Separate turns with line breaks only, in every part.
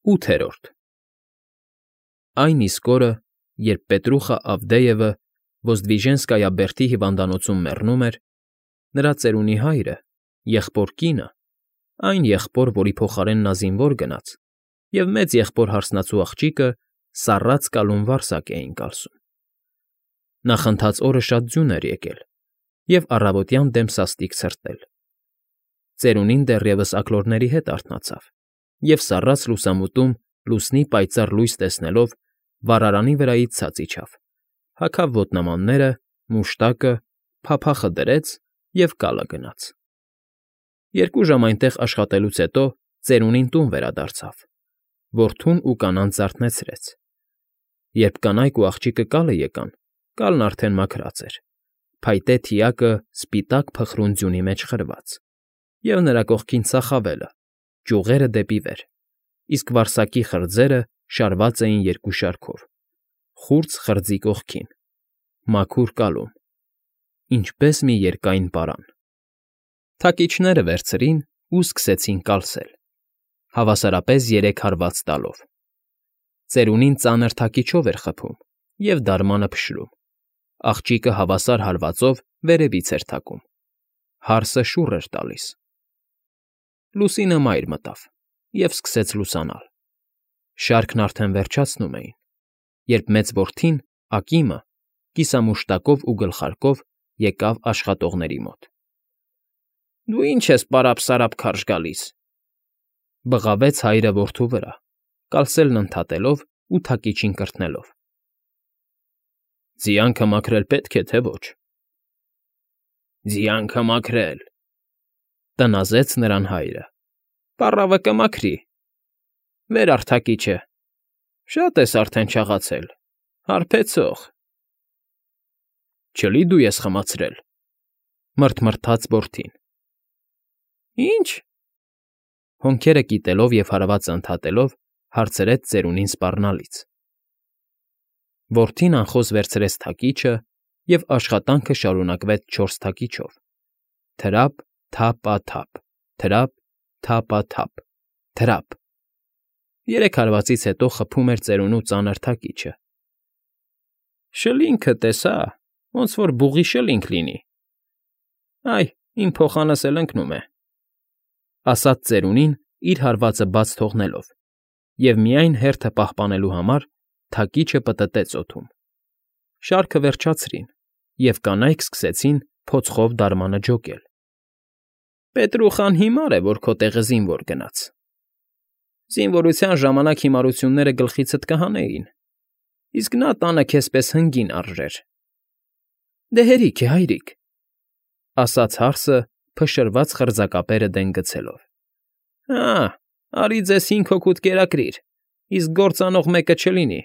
8-րդ Այն իսկ օրը, երբ Պետրուխա Ավդեևը Ոզդվիժենսկայա բերդի հիվանդանոցում մեռնում էր, նրա ծերունի հայրը, եղբոր կինը, այն եղբոր, որի փոխարեն նա զինվոր գնաց, և մեծ եղբոր հարսնացու աղջիկը սառած կալուն վարսակ էին կալսում։ Նախընթաց օրը շատ ձյուն էր եկել, և առավոտյան դեմ սաստիկ ցրտել։ Ծերունին դեռևս աքլորների հետ արթնացավ, և սառած լուսամուտում լուսնի պայծառ լույս տեսնելով վառարանի վրայից ցած իջավ, հագավ ոտնամանները, մուշտակը, փափախը դրեց և կալը գնաց։ 2 ժամ այնտեղ աշխատելուց հետո ծերունին տուն վերադարձավ, որդուն ու կանանց զարթնեցրեց։ Երբ կանայք ու աղջիկը կալը եկան, կալն արդեն մաքրած էր, փայտե թիակը սպիտակ փխրուն ձյունի մեջ խրված, և նրա կողքին ծախավելը, ճյուղերը դեպի վեր, իսկ վարսակի խրձերը շարված էին 2 շարքով, խուրձ խրձի կողքին, մաքուր կալում, ինչպես մի երկայն պարան։ Թակիչները վերցրին ու սկսեցին կալսել, հավասարապես 3 հարված տալով։ Ծերունին ծանր թակիչով էր խփում և դարմանը փշրում, աղջիկը հավասար հարվածով վերևից էր թակում, հարսը շուռ էր տալիս։ Լուսինը մայր մտավ և սկսեց լուսանալ։ Շարքն արդեն վերջացնում էին, երբ մեծ որդին, Ակիմը, կիսամուշտակով ու գլխարկով եկավ աշխատողների մոտ։ ֊ Դու ի՞նչ ես պարապ֊սարապ քարշ գալիս,֊ բղավեց հայրը որդու վրա, կալսելն ընդհատելով ու թակիչին կրթնելով։ ֊ Ձիանքը մաքրել պետք է, թե ոչ։ ֊ Ձիանքը մաքրել,֊ տնազեց նրան հայրը,֊ պառավը կմաքրի։ Վեր առ թակիչը, շատ ես արդեն չաղացել, հարբեցող։ ֊ Չլի դու ես խմացրել,֊ մռթմռթաց որդին։ ֊ Ի՞նչ,֊ հոնքերը կիտելով և հարվածը ընդհատելով հարցրեց ծերունին սպառնալից։ Որդին անխոզ վերցրեց թակիչը, և աշխատանքը շարունակվեց 4 թակիչով՝ թրափ, թափ֊ա֊թափ, թրափ, թափ֊ա֊թափ, թրափ։ 3 հարվածից հետո խփում էր ծերունու ծանր թակիչը։ ֊ Շլինգը տեսա, ոնց որ բուղի շլինգ լինի։ Այ, իմ փոխանս էլ ընկնում է,֊ ասաց ծերունին իր հարվածը բաց թողնելով, և միայն հերթը պահպանելու համար թակիչը պտտեց օդում։ Շարքը վերջացրին, և կանայք սկսեցին փոցխով դարմանը ջոկել։ ֊ Պետրուխան հիմար է, որ քո տեղը զինվոր գնաց։ Զինվորության ժամանակ հիմարությունները գլխիցդ կհանեին, իսկ նա տանը քեզ պես հնգին արժեր։ ֊ Դե հերիք է, հայրիկ,֊ ասաց հարսը փշրված խրձակապերը դեն գցելով։ ֊ Հա, արի ձեզ 5 հոգուդ կերակրիր, իսկ գործ անող մեկը չլինի։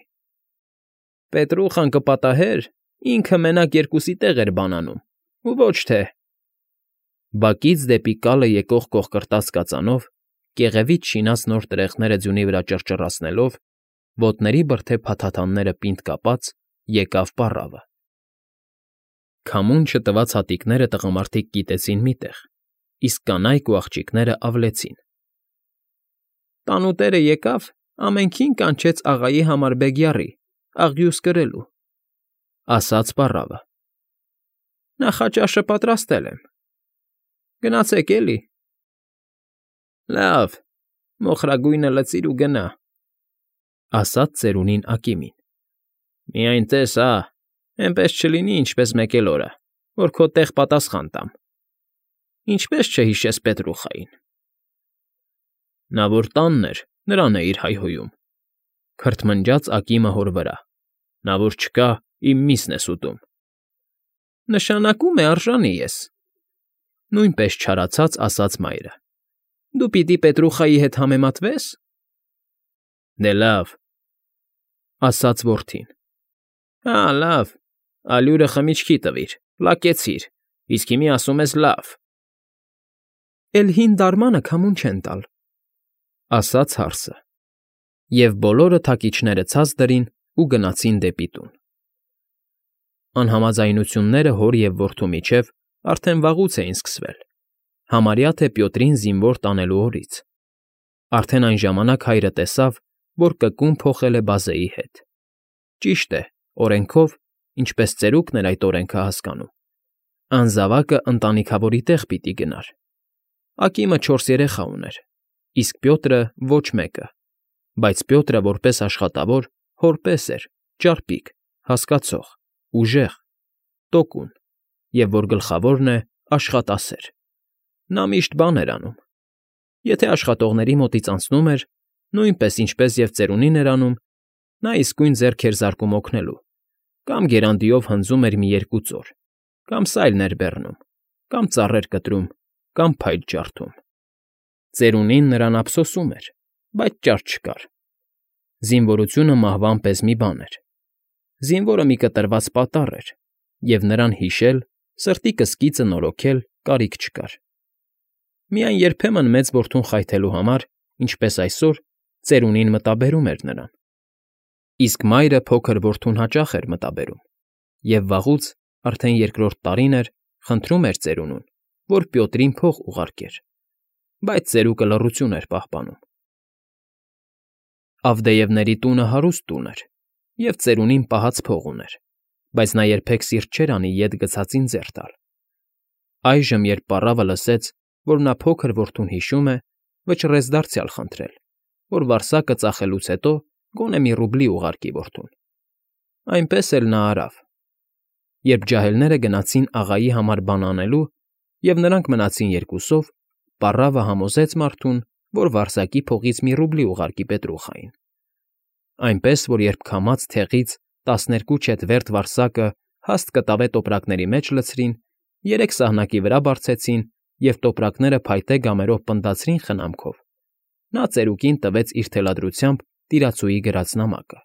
Պետրուխան կպատահեր, ինքը մենակ 2-ի տեղ էր բանանում, ու ոչ թե… Բակից դեպի կալը եկող կոխկրտած կածանով, կեղևից շինած նոր տրեխները ձյունի վրա ճռճռացնելով, ոտների բրդե փաթաթանները պինդ կապած, եկավ պառավը։ Քամուն չտված հատիկները տղամարդիկ կիտեցին մի տեղ, իսկ կանայք ու աղջիկները ավլեցին։ Տանուտերը եկավ, ամենքին կանչեց աղայի համար բեգյառի, աղյուս կրելու,֊ ասաց պառավը։ Նախաճաշը պատրաստել եմ։ Գնացեք էլի։ ֊ Լավ, մոխրագույնը լցիր ու գնա,֊ ասաց ծերունին Ակիմին։ ֊ Միայն տես, էնպես չլինի, ինչպես մեկ էլ օրը, որ քո տեղ պատասխան տամ։ Ինչպե՞ս չհիշես Պետրուխային։ ֊ Նա որ տանն էր, նրան էիր հայհոյում,֊ քրթմնջաց Ակիմը հոր վրա,֊ նա որ չկա, իմ միսն ես ուտում։ ֊ Նշանակում է արժանի ես,֊ նույնպես չարացած ասաց մայրը։ Դու պիտի Պետրուխայի հետ համեմատվե՞ս։ ֊ Դե լավ,֊ ասաց որդին։ ֊ Հա, լավ, ալյուրը խմիչքի տվիր, լակեցիր, իսկ հիմի ասում ես լավ։ ֊ Էլ հին դարմանը քամուն չեն տալ,֊ ասաց հարսը, և բոլորը թակիչները ցած դրին ու գնացին դեպի տուն։ Անհամաձայնությունները հոր և որդու միջև արդեն վաղուց էին սկսվել, համարյա թե Պյոտրին զինվոր տանելու օրից։ Արդեն այն ժամանակ հայրը տեսավ, որ կկում փոխել է բազեի հետ։ Ճիշտ է, օրենքով, ինչպես ծերուկն էր այդ օրենքը հասկանում, անզավակը ընտանիքավորի տեղ պիտի գնար։ Ակիմը 4 երեխա ուներ, իսկ Պյոտրը ոչ մեկը, բայց Պյոտրը որպես աշխատավոր հոր պես էր, ճարպիկ, հասկացող, ուժեղ, տոկուն, և որ գլխավորն է, աշխատասեր։ Նա միշտ բան էր անում։ Եթե աշխատողների մոտից անցնում էր, նույնպես ինչպես և ծերունին էր անում, նա իսկույն ձեռք էր զարկում օգնելու, կամ գերանդիով հնձում էր մի 2 ծոր, կամ սայլ ներբեռնում, կամ ծառեր կտրում, կամ փայտ ջարդում։ Ծերունին նրան ափսոսում էր, բայց ճար չկար։ Զինվորությունը մահվան պես մի բան էր։ Զինվորը մի կտրված պատառ էր, և նրան հիշել, սրտի կսկիծը նորոգել կարիք չկար։ Միայն երբեմն մեծ որդուն խայթելու համար, ինչպես այսօր, ծերունին մտաբերում էր նրան։ Իսկ մայրը փոքր որդուն հաճախ էր մտաբերում, և վաղուց, արդեն 2-րդ տարին էր, խնդրում էր ծերունուն, որ Պյոտրին փող ուղարկեր, բայց ծերուկը լռություն էր պահպանում։ Ավդեևների տունը հարուստ տուն էր, և ծերունին պահած փող ուներ, բայց նա երբեք սիրտ չէր անի ետ գցածին ձեռ տալ։ Այժմ, երբ պառավը լսեց, որ նա փոքր որդուն հիշում է, վճռեց դարձյալ խնդրել, որ վարձակը ծախելուց հետո գոնե մի ռուբլի ուղարկի որդուն։ Այնպես էլ նա արավ։ Երբ ջահելները գնացին աղայի համար բան անելու, և նրանք մնացին երկուսով, պառավը համոզեց մարդուն, որ վարձակի փողից մի ռուբլի ուղարկի Պետրուխային։ Այնպես որ երբ քամած թեղից 12 չետվերտ վարձակը հաստ կտավե տոպրակների մեջ լցրին, 3 սահնակի վրա բարձեցին և տոպրակները փայտե գամերով պնդացրին խնամքով, նա ծերուկին տվեց իր թելադրությամբ տիրացուի գրած նամակը։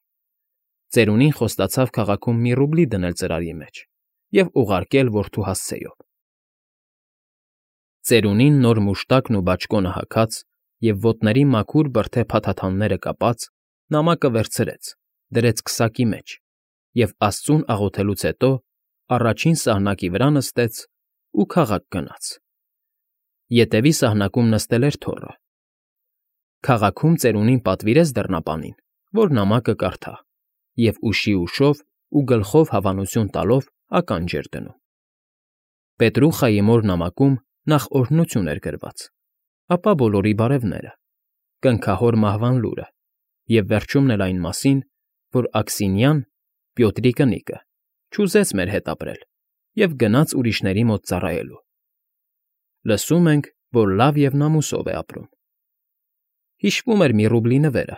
Ծերունին խոստացավ քաղաքում մի ռուբլի դնել ծրարի մեջ և ուղարկել որդու հասցեով։ Ծերունին նոր մուշտակն ու բաճկոնը հագած և ոտների մաքուր բրդե փաթաթանները կապած, նամակը վերցրեց, դրեց քսակի մեջ և աստծուն աղոթելուց հետո առաջին սահնակի վրա նստեց ու քաղաք գնաց։ Ետևի սահնակում նստել էր թոռը։ Քաղաքում ծերունին պատվիրեց դռնապանին, որ նամակը կարդա, և ուշի ուշով ու գլխով հավանություն տալով ականջ էր դնում։ Պետրուխայի մոր նամակում նախ օրհնություն էր գրված, ապա բոլորի բարևները, կնքահոր մահվան լուրը և վերջումն էլ այն մասին, որ Աքսինյան, Պյոտրի կնիկը, չուզեց մեր հետ ապրել և գնաց ուրիշների մոտ ծառայելու։ Լսում ենք, որ լավ և նամուսով է ապրում։ Հիշվում էր մի ռուբլի նվերը,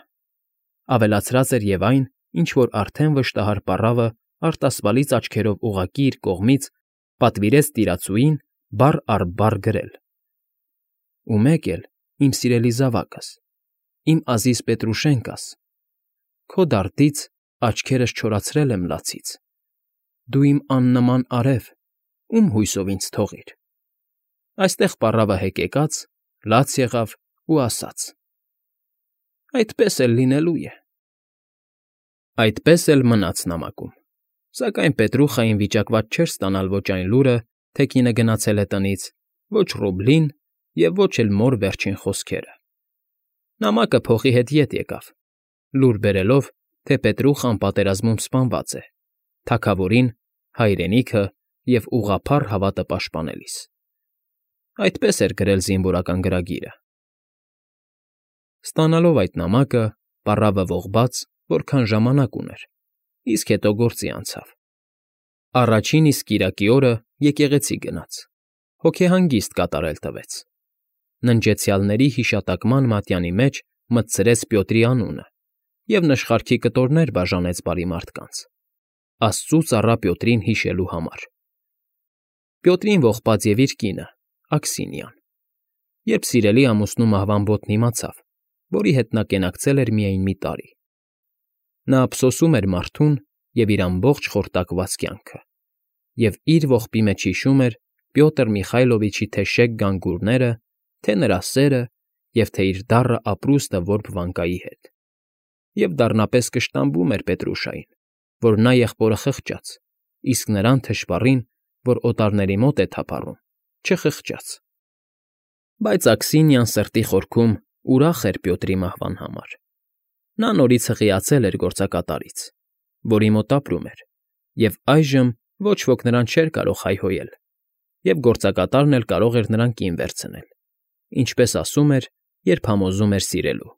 ավելացրած էր և այն, ինչ որ արդեն վշտահար պառավը արտասվալից աչքերով ուղղակի իր կողմից պատվիրեց տիրացուին բառ առ բառ գրել. «Ու մեկ էլ, իմ սիրելի զավակս, իմ ազիզ Պետրուշենկաս, քո դարդից աչքերս չորացրել եմ լացից, դու իմ աննման արև, ում հույսով ինձ թողիր»։ Այստեղ պառավը հեկեկաց, լաց եղավ ու ասաց. «Այդպես էլ լինելու է»։ Այդպես էլ մնաց նամակում, սակայն Պետրուխային վիճակված չէր ստանալ ոչ այն լուրը, թե կինը գնացել է տնից, ոչ ռուբլին և ոչ էլ մոր վերջին խոսքերը։ Նամակը փողի հետ ետ եկավ, լուր բերելով, թե Պետրուխան պատերազմում սպանված է, թագավորին, հայրենիքը և ուղղափառ հավատը պաշտպանելիս։ Այդպես էր գրել զինվորական գրագիրը։ Ստանալով այդ նամակը, պառավը ողբաց, որքան ժամանակ ուներ, իսկ հետո գործի անցավ։ Առաջին իսկ կիրակի օրը եկեղեցի գնաց, հոգեհանգիստ կատարել տվեց։ Ննջեցյալների հիշատակման մատյանի մեջ մտցրեց Պյոտրի անունը և նշխարքի կտորներ բաժանեց բարի մարդկանց, աստծու ծառա Պյոտրին հիշելու համար։ Պյոտրին ողբաց և իր կինը՝ Աքսինիան։ Երբ սիրելի ամուսնու մահվան բոթն իմացավ, որի հետ նա կենակցել էր միայն մի տարի, նա ափսոսում էր մարդուն և իր ամբողջ խորտակված կյանքը, և իր ողբի մեջ հիշում էր Պյոտր Միխայլովիչի թե շեկ գանգուրները, թե նրա սերը և թե իր դառը ապրուստը որբ վանկայի հետ։ Եվ դառնապես կշտամբում էր Պետրուշային, որ նա եղբորը խղճաց, իսկ նրան թշվառին, որ օտարների մոտ է թափառում, չխղճաց։ Բայց Աքսինիան սրտի խորքում ուրախ էր Պյոտրի մահվան համար։ Նա նորից հղիացել էր գործակատարից, որի մոտ ապրում էր, և այժմ ոչ ոք նրան չէր կարող հայհոյել, և գործակատարն էլ կարող էր նրան կին վերցնել, ինչպես ասում էր, երբ համոզում էր սիրելու։